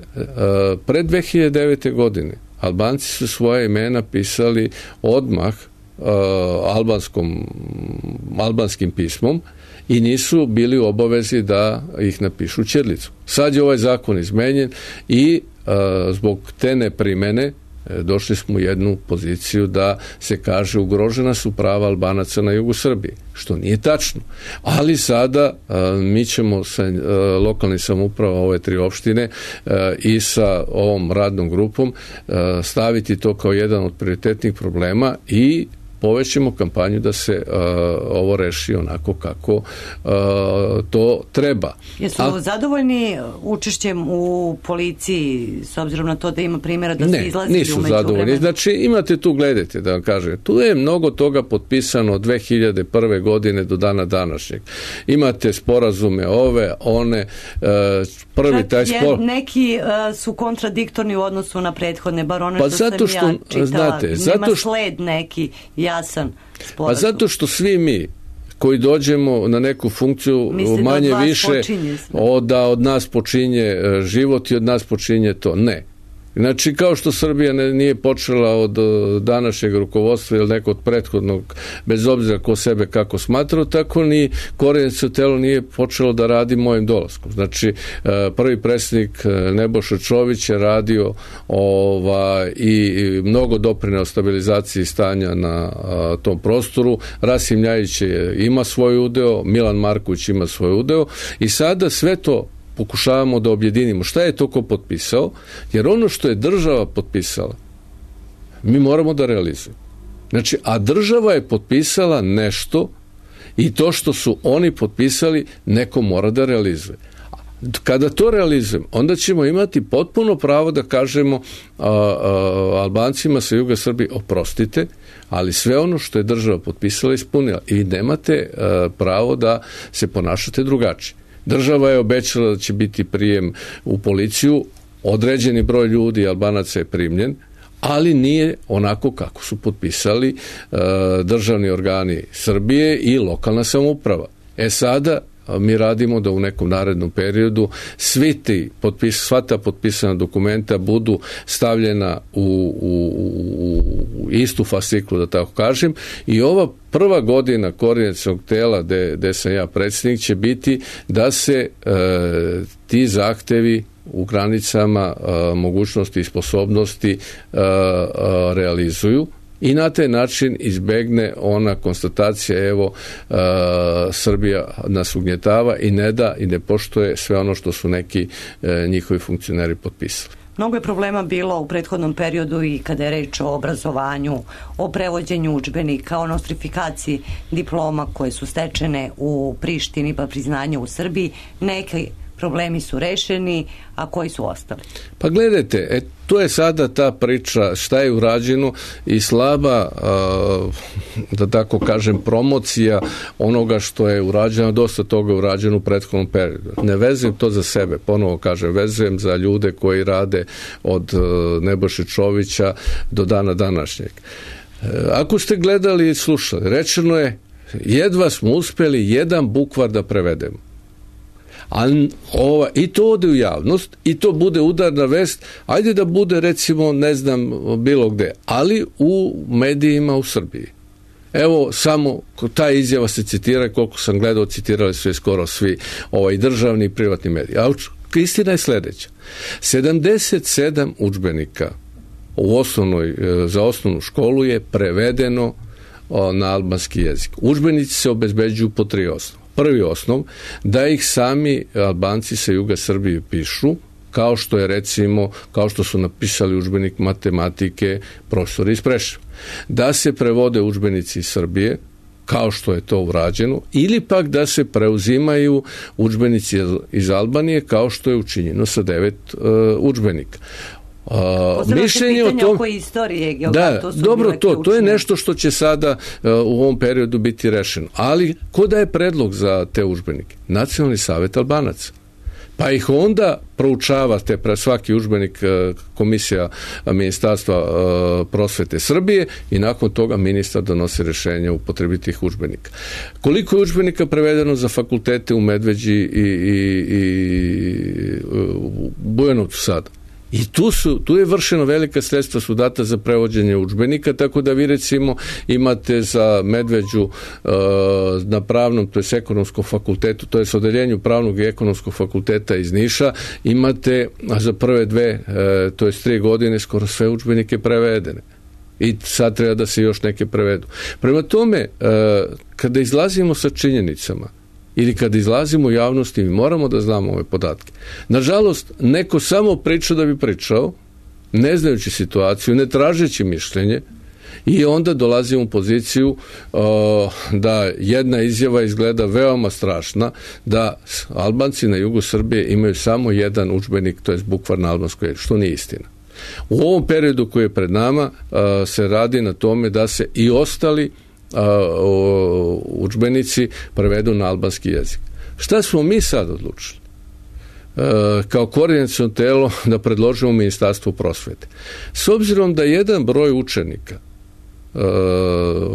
[SPEAKER 6] pre dve hiljade devete. godine Albanci su svoje imena pisali odmah albanskom, albanskim pismom i nisu bili u obavezi da ih napišu ćirilicom. Sad je ovaj zakon izmenjen i zbog te neprimene došli smo u jednu poziciju da se kaže ugrožena su prava Albanaca na jugu Srbije, što nije tačno. Ali sada a, mi ćemo sa a, lokalnim samouprava ove tri opštine a, i sa ovom radnom grupom a, staviti to kao jedan od prioritetnih problema i povećemo kampanju da se uh, ovo reši onako kako uh, to treba.
[SPEAKER 5] Jesu
[SPEAKER 6] A,
[SPEAKER 5] zadovoljni učešćem u policiji s obzirom na to da ima primjera da
[SPEAKER 6] ne,
[SPEAKER 5] se izlazili
[SPEAKER 6] nisu
[SPEAKER 5] u
[SPEAKER 6] zadovoljni.
[SPEAKER 5] međuvremenu?
[SPEAKER 6] Znači imate tu, gledajte da vam kažem, tu je mnogo toga potpisano od dve hiljade prve. godine do dana današnjeg. Imate sporazume ove, one, uh, prvi
[SPEAKER 5] Čak
[SPEAKER 6] taj spor...
[SPEAKER 5] neki uh, su kontradiktorni u odnosu na prethodne, bar one
[SPEAKER 6] pa
[SPEAKER 5] što
[SPEAKER 6] zato
[SPEAKER 5] sam
[SPEAKER 6] što,
[SPEAKER 5] ja čitala.
[SPEAKER 6] znate,
[SPEAKER 5] Nema
[SPEAKER 6] zato što,
[SPEAKER 5] sled neki jasan sporazum.
[SPEAKER 6] Pa zato što svi mi koji dođemo na neku funkciju
[SPEAKER 5] Mislim
[SPEAKER 6] manje
[SPEAKER 5] da od
[SPEAKER 6] više od, da od nas počinje život i od nas počinje to. Ne. Znači, kao što Srbija ne, nije počela od današnjeg rukovodstva ili nekog prethodnog, bez obzira ko sebe kako smatrao, tako ni Korenica telo nije počelo da radi mojim dolaskom. Znači, prvi predsjednik Nebojša Čović je radio ova, i mnogo doprineo stabilizaciji stanja na a, tom prostoru. Rasim Ljajić ima svoj udeo, Milan Marković ima svoj udeo i sada sve to pokušavamo da objedinimo. Šta je to ko potpisao? Jer ono što je država potpisala, mi moramo da realizujemo. Znači, a država je potpisala nešto i to što su oni potpisali, neko mora da realizuje. Kada to realizujemo, onda ćemo imati potpuno pravo da kažemo a, a, Albancima sa juga Srbije, oprostite, ali sve ono što je država potpisala ispunila i nemate a, pravo da se ponašate drugačije. Država je obećala da će biti prijem u policiju, određeni broj ljudi Albanaca je primljen, ali nije onako kako su potpisali e, državni organi Srbije i lokalna samouprava. E sada, mi radimo da u nekom narednom periodu svi ti potpis, sva ta potpisana dokumenta budu stavljena u, u, u istu fasciklu, da tako kažem, i ova prva godina koordinacionog tela gde, gde sam ja predsjednik će biti da se e, ti zahtevi u granicama e, mogućnosti i sposobnosti e, e, realizuju i na taj način izbegne ona konstatacija, evo, e, Srbija nas ugnjetava i ne da i ne poštuje sve ono što su neki e, njihovi funkcioneri potpisali.
[SPEAKER 5] Mnogo je problema bilo u prethodnom periodu i kada je reč o obrazovanju, o prevođenju udžbenika, o nostrifikaciji diploma koje su stečene u Prištini pa priznanje u Srbiji. Neki problemi su rešeni, a koji su ostali?
[SPEAKER 6] Pa gledajte, e, to je sada ta priča šta je urađeno i slaba, a, da tako kažem, promocija onoga što je urađeno, dosta toga je urađeno u prethodnom periodu. Ne vezujem to za sebe, ponovo kažem, vezujem za ljude koji rade od Nebojše Čovića do dana današnjeg. E, ako ste gledali i slušali, rečeno je, jedva smo uspjeli jedan bukvar da prevedemo. A ova, i to ode u javnost i to bude udarna vest, ajde da bude recimo ne znam bilo gde, ali u medijima u Srbiji. Evo samo ta izjava se citira, koliko sam gledao citirali su je skoro svi ovaj, državni i privatni mediji. A istina je sljedeća. sedamdeset sedam udžbenika u osnovnoj, za osnovnu školu je prevedeno na albanski jezik. Udžbenici se obezbeđuju po tri osnova. Prvi osnov, da ih sami Albanci sa juga Srbije pišu, kao što je recimo, kao što su napisali udžbenik matematike profesori iz Preševa. Da se prevode udžbenici iz Srbije, kao što je to urađeno, ili pak da se preuzimaju udžbenici iz Albanije, kao što je učinjeno sa devet uh, udžbenika. Uh, mišljenje o tom,
[SPEAKER 5] oko istorije, geografije,
[SPEAKER 6] da,
[SPEAKER 5] to su
[SPEAKER 6] dobro, to, to je
[SPEAKER 5] ključne.
[SPEAKER 6] nešto što će sada uh, u ovom periodu biti rešeno. Ali ko daje predlog za te udžbenike? Nacionalni savet Albanaca. Pa ih onda proučava te pre svaki udžbenik uh, komisija uh, Ministarstva uh, prosvete Srbije i nakon toga ministar donosi rešenje o upotrebi tih udžbenika. Koliko je udžbenika prevedeno za fakultete u Medveđi i, i, i u Bujanovcu sada? I tu, su, tu je vršeno velika sredstva su data za prevođenje udžbenika, tako da vi recimo imate za Medveđu uh, na pravnom, to je ekonomskom fakultetu, to je s odeljenju pravnog i ekonomskog fakulteta iz Niša, imate za prve dve, uh, to je tri godine, skoro sve udžbenike prevedene. I sad treba da se još neke prevedu. Prema tome, uh, kada izlazimo sa činjenicama, ili kad izlazimo u javnosti, mi moramo da znamo ove podatke. Nažalost, neko samo priča da bi pričao, ne znajući situaciju, ne tražeći mišljenje, i onda dolazimo u poziciju uh, da jedna izjava izgleda veoma strašna, da Albanci na jugu Srbije imaju samo jedan udžbenik, to je bukvar na albanskoj, što nije istina. U ovom periodu koji je pred nama uh, se radi na tome da se i ostali udžbenici prevedu na albanski jezik. Šta smo mi sad odlučili? E, kao koordinaciono telo da predložimo Ministarstvu prosvete. S obzirom da jedan broj učenika e,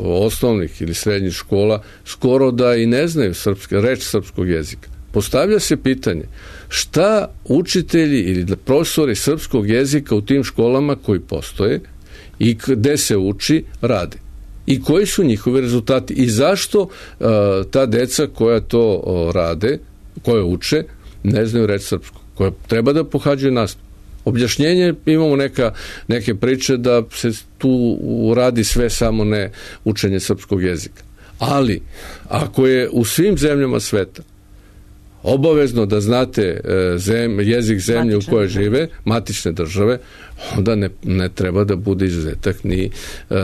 [SPEAKER 6] osnovnih ili srednjih škola skoro da i ne znaju srpske, reč srpskog jezika, postavlja se pitanje šta učitelji ili profesori srpskog jezika u tim školama koji postoje i gde se uči rade. I koji su njihovi rezultati i zašto uh, ta deca koja to uh, rade, koje uče, ne znaju reći srpsko, koje treba da pohađaju nastavu. Objašnjenje, imamo neka, neke priče da se tu radi sve samo ne učenje srpskog jezika. Ali, ako je u svim zemljama sveta obavezno da znate zem, jezik zemlje matične u kojoj žive, matične države, onda ne, ne treba da bude izuzetak ni uh,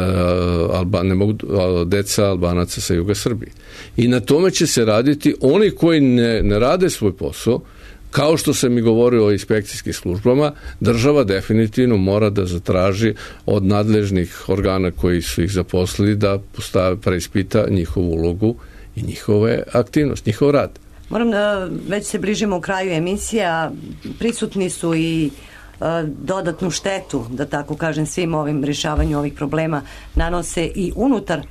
[SPEAKER 6] Alba, ne mogu, uh, deca Albanaca sa juga Srbije. I na tome će se raditi oni koji ne, ne rade svoj posao, kao što sam i govorio o inspekcijskim službama, država definitivno mora da zatraži od nadležnih organa koji su ih zaposlili da postave, preispita njihovu ulogu i njihove aktivnosti, njihov rad.
[SPEAKER 5] Moram da, već se bližimo u kraju emisija, prisutni su i uh, dodatnu štetu, da tako kažem, svim ovim rješavanju ovih problema nanose i unutar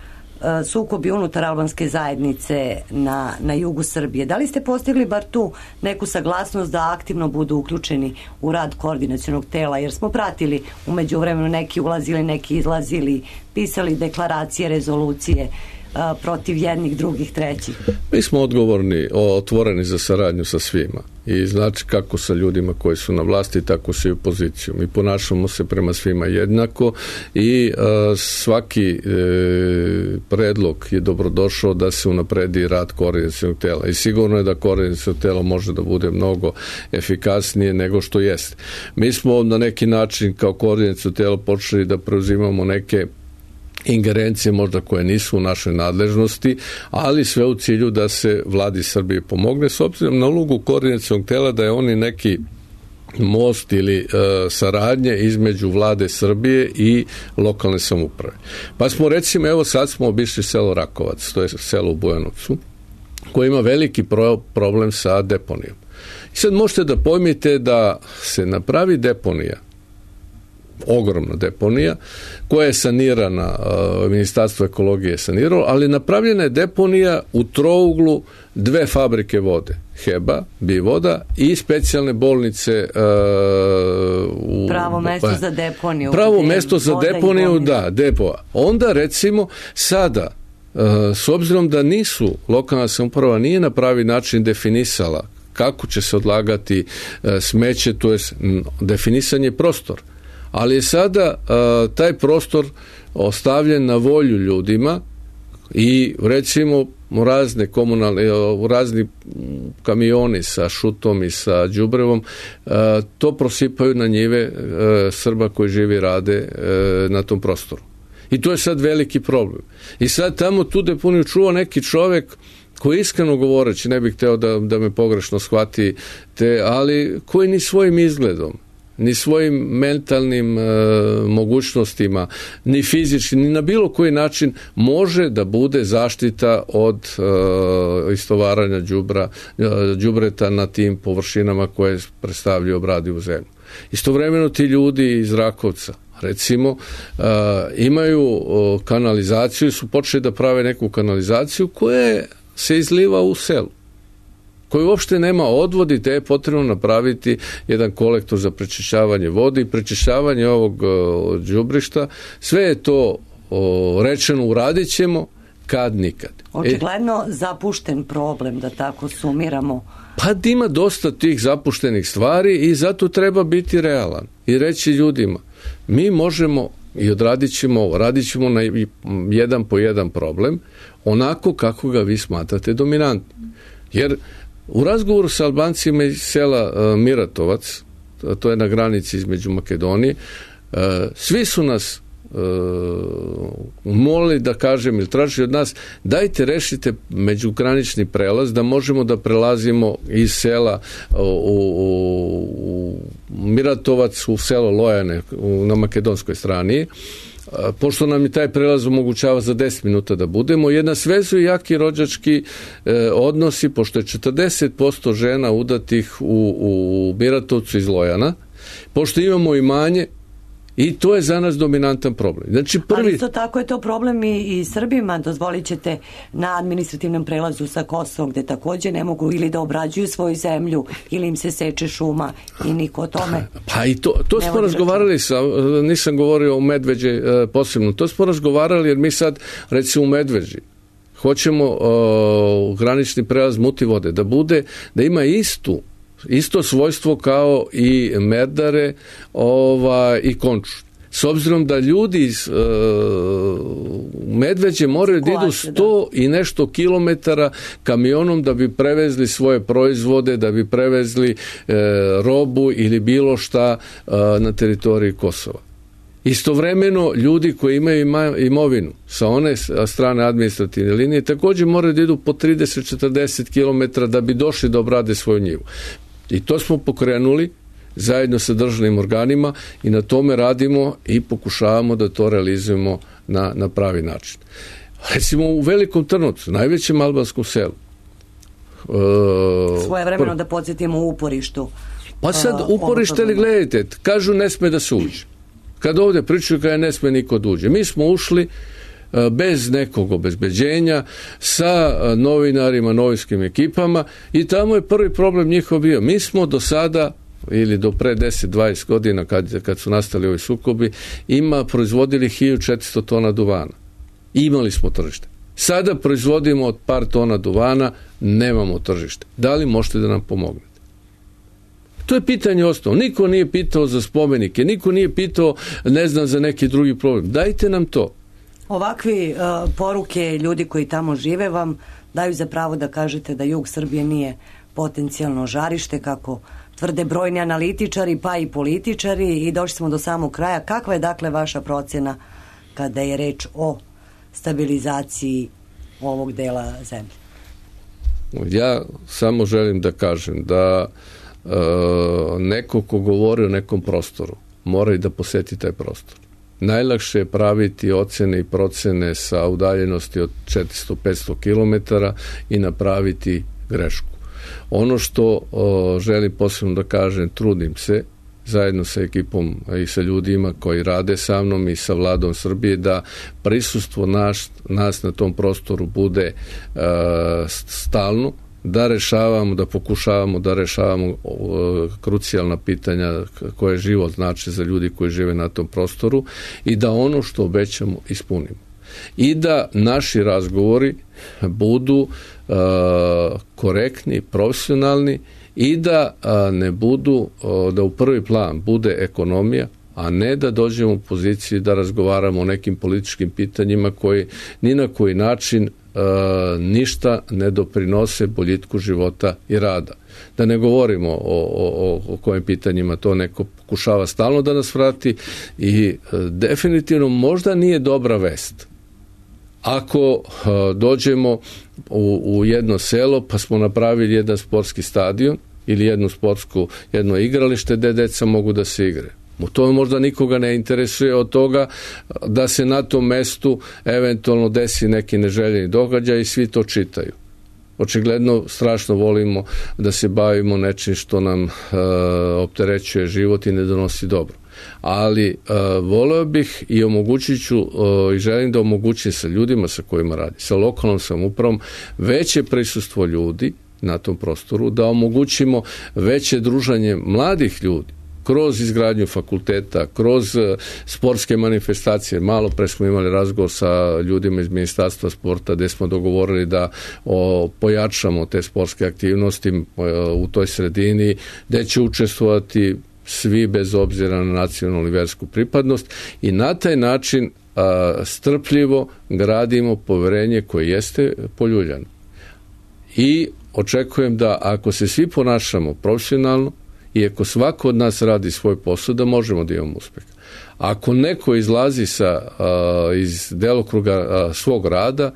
[SPEAKER 5] sukobi unutar albanske zajednice na, na jugu Srbije. Da li ste postigli bar tu neku saglasnost da aktivno budu uključeni u rad koordinacionog tela, jer smo pratili u međuvremenu neki ulazili, neki izlazili, pisali deklaracije, rezolucije a, protiv jednih, drugih, trećih?
[SPEAKER 6] Mi smo odgovorni, otvoreni za saradnju sa svima i znači kako sa ljudima koji su na vlasti, tako se i u poziciju. Mi ponašamo se prema svima jednako i a, svaki e, predlog je dobrodošao da se unapredi rad koordinacionog tela i sigurno je da koordinaciono telo može da bude mnogo efikasnije nego što jeste. Mi smo na neki način kao koordinaciono telo počeli da preuzimamo neke ingerencije možda koje nisu u našoj nadležnosti, ali sve u cilju da se vladi Srbije pomogne s obzirom na ulogu koordinacionog tela da je oni neki most ili e, saradnje između vlade Srbije i lokalne samouprave. Pa smo recimo, evo sad smo obišli selo Rakovac, to je selo u Bujanovcu, koje ima veliki pro, problem sa deponijom. I sad možete da pojmite da se napravi deponija, ogromna deponija, koja je sanirana, Ministarstvo ekologije je saniralo, ali napravljena je deponija u trouglu dve fabrike vode, Heba, Bivoda i specijalne bolnice uh, u,
[SPEAKER 5] pravo mesto pa, za deponiju.
[SPEAKER 6] Pravo mesto za deponiju, da, depo. Onda recimo sada, uh, s obzirom da nisu, lokalna samouprava nije na pravi način definisala kako će se odlagati uh, smeće, to je definisan je prostor. Ali je sada uh, taj prostor ostavljen na volju ljudima i recimo razne komunalne, razni kamioni sa šutom i sa đubrevom uh, to prosipaju na njive uh, Srba koji živi i rade uh, na tom prostoru. I to je sad veliki problem. I sad tamo tu deponiju čuva neki čovjek koji iskreno govoreći, ne bih hteo da, da me pogrešno shvati, te, ali koji ni svojim izgledom, ni svojim mentalnim e, mogućnostima, ni fizički, ni na bilo koji način može da bude zaštita od e, istovaranja đubra, e, đubreta na tim površinama koje predstavljaju obradivu zemlju. Istovremeno ti ljudi iz Rakovca, recimo, e, imaju e, kanalizaciju, su počeli da prave neku kanalizaciju koja se izliva u selu, koji uopšte nema odvodi, te je potrebno napraviti jedan kolektor za prečišćavanje vode i prečišćavanje ovog o, đubrišta. Sve je to o, rečeno, uradit ćemo, kad nikad.
[SPEAKER 5] Očigledno e, zapušten problem, da tako sumiramo.
[SPEAKER 6] Pa ima dosta tih zapuštenih stvari i zato treba biti realan i reći ljudima, mi možemo i odradit ćemo ovo, radit ćemo na jedan po jedan problem, onako kako ga vi smatrate dominantnim. Jer u razgovoru sa Albancima iz sela uh, Miratovac, to je na granici između Makedonije, uh, svi su nas uh, molili da kažem ili tražili od nas, dajte rešite međugranični prelaz da možemo da prelazimo iz sela uh, u, u, u Miratovac u selo Lojane u, na makedonskoj strani. Pošto nam je taj prelaz omogućava za deset minuta da budemo, jedna svezu i jaki rođački e, odnosi, pošto je četrdeset posto žena udatih u, u Miratovcu iz Lojana, pošto imamo imanje, i to je za nas dominantan problem. Znači prvi...
[SPEAKER 5] Ali isto tako je to problem i, i Srbima, dozvolit ćete na administrativnom prelazu sa Kosovom, gde također ne mogu ili da obrađuju svoju zemlju, ili im se seče šuma i niko o tome.
[SPEAKER 6] Pa i to, to smo razgovarali sa, nisam govorio o Medveđi posebno, to smo razgovarali jer mi sad, recimo u Medveđi, hoćemo uh, granični prelaz Mutivode da bude, da ima istu isto svojstvo kao i Merdare ova, i Končulj. S obzirom da ljudi iz e, Medveđe moraju da idu sto i nešto kilometara kamionom da bi prevezli svoje proizvode, da bi prevezli e, robu ili bilo šta e, na teritoriji Kosova. Istovremeno ljudi koji imaju imovinu sa one strane administrativne linije također moraju da idu po trideset do četrdeset kilometara da bi došli da obrade svoju njivu. I to smo pokrenuli zajedno sa državnim organima i na tome radimo i pokušavamo da to realizujemo na, na pravi način. Recimo u Velikom Trnovcu, najvećem albanskom selu.
[SPEAKER 5] Uh, Svoje vremeno pr... da podsjetimo u uporištu.
[SPEAKER 6] Pa sad uporište li gledajte, kažu ne sme da se uđe. Kad ovdje pričaju kada ne sme niko da uđe. Mi smo ušli, bez nekog obezbeđenja, sa novinarima, novinskim ekipama i tamo je prvi problem njihov bio. Mi smo do sada ili do pre deset dvadeset godina kad, kad su nastali ovi sukobi, ima proizvodili hiljadu četiristo tona duvana. Imali smo tržište. Sada proizvodimo od par tona duvana, nemamo tržište. Da li možete da nam pomognete? To je pitanje osnovno. Niko nije pitao za spomenike, niko nije pitao, ne znam, za neki drugi problem. Dajte nam to.
[SPEAKER 5] Ovakvi uh, poruke ljudi koji tamo žive vam daju za pravo da kažete da jug Srbije nije potencijalno žarište, kako tvrde brojni analitičari pa i političari, i došli smo do samog kraja. Kakva je dakle vaša procjena kada je reč o stabilizaciji ovog dela zemlje?
[SPEAKER 6] Ja samo želim da kažem da e, neko ko govori o nekom prostoru mora i da poseti taj prostor. Najlakše je praviti ocene i procene sa udaljenosti od četiristo do petsto kilometara i napraviti grešku. Ono što o, želim posebno da kažem, trudim se zajedno sa ekipom i sa ljudima koji rade sa mnom i sa vladom Srbije da prisustvo naš, nas na tom prostoru bude e, stalno, da rešavamo, da pokušavamo da rešavamo e, krucijalna pitanja koje život znači za ljudi koji žive na tom prostoru i da ono što obećamo ispunimo. I da naši razgovori budu e, korektni, profesionalni i da a, ne budu, a, da u prvi plan bude ekonomija, a ne da dođemo u poziciju da razgovaramo o nekim političkim pitanjima koji ni na koji način a, ništa ne doprinose boljitku života i rada. Da ne govorimo o, o, o kojim pitanjima to neko pokušava stalno da nas vrati i a, definitivno možda nije dobra vest ako a, dođemo u, u jedno selo pa smo napravili jedan sportski stadion ili jednu sportsku, jedno igralište gde deca mogu da se igre. To možda nikoga ne interesuje od toga da se na tom mestu eventualno desi neki neželjeni događaj i svi to čitaju. Očigledno strašno volimo da se bavimo nečim što nam e, opterećuje život i ne donosi dobro. Ali e, voleo bih i omogućit ću e, i želim da omogućim sa ljudima sa kojima radi, sa lokalnom samoupravom, veće prisustvo ljudi na tom prostoru, da omogućimo veće druženje mladih ljudi kroz izgradnju fakulteta, kroz sportske manifestacije. Malo pre smo imali razgovor sa ljudima iz Ministarstva sporta gde smo dogovorili da o, pojačamo te sportske aktivnosti o, u toj sredini, gde će učestvovati svi bez obzira na nacionalnu i versku pripadnost i na taj način a, strpljivo gradimo poverenje koje jeste poljuljano. I očekujem da ako se svi ponašamo profesionalno i ako svako od nas radi svoj posao, da možemo da imamo uspeh. Ako neko izlazi sa, a, iz delokruga a, svog rada,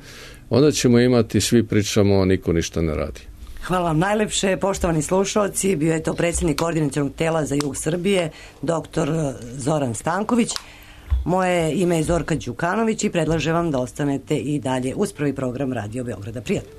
[SPEAKER 6] onda ćemo imati, svi pričamo, a niko ništa ne radi.
[SPEAKER 5] Hvala vam najlepše, poštovani slušalci. Bio je to predsjednik koordinacionog tela za jug Srbije, doktor Zoran Stanković. Moje ime je Zorka Đukanović i predlažem vam da ostanete i dalje uz prvi program Radio Beograda. Prijatno.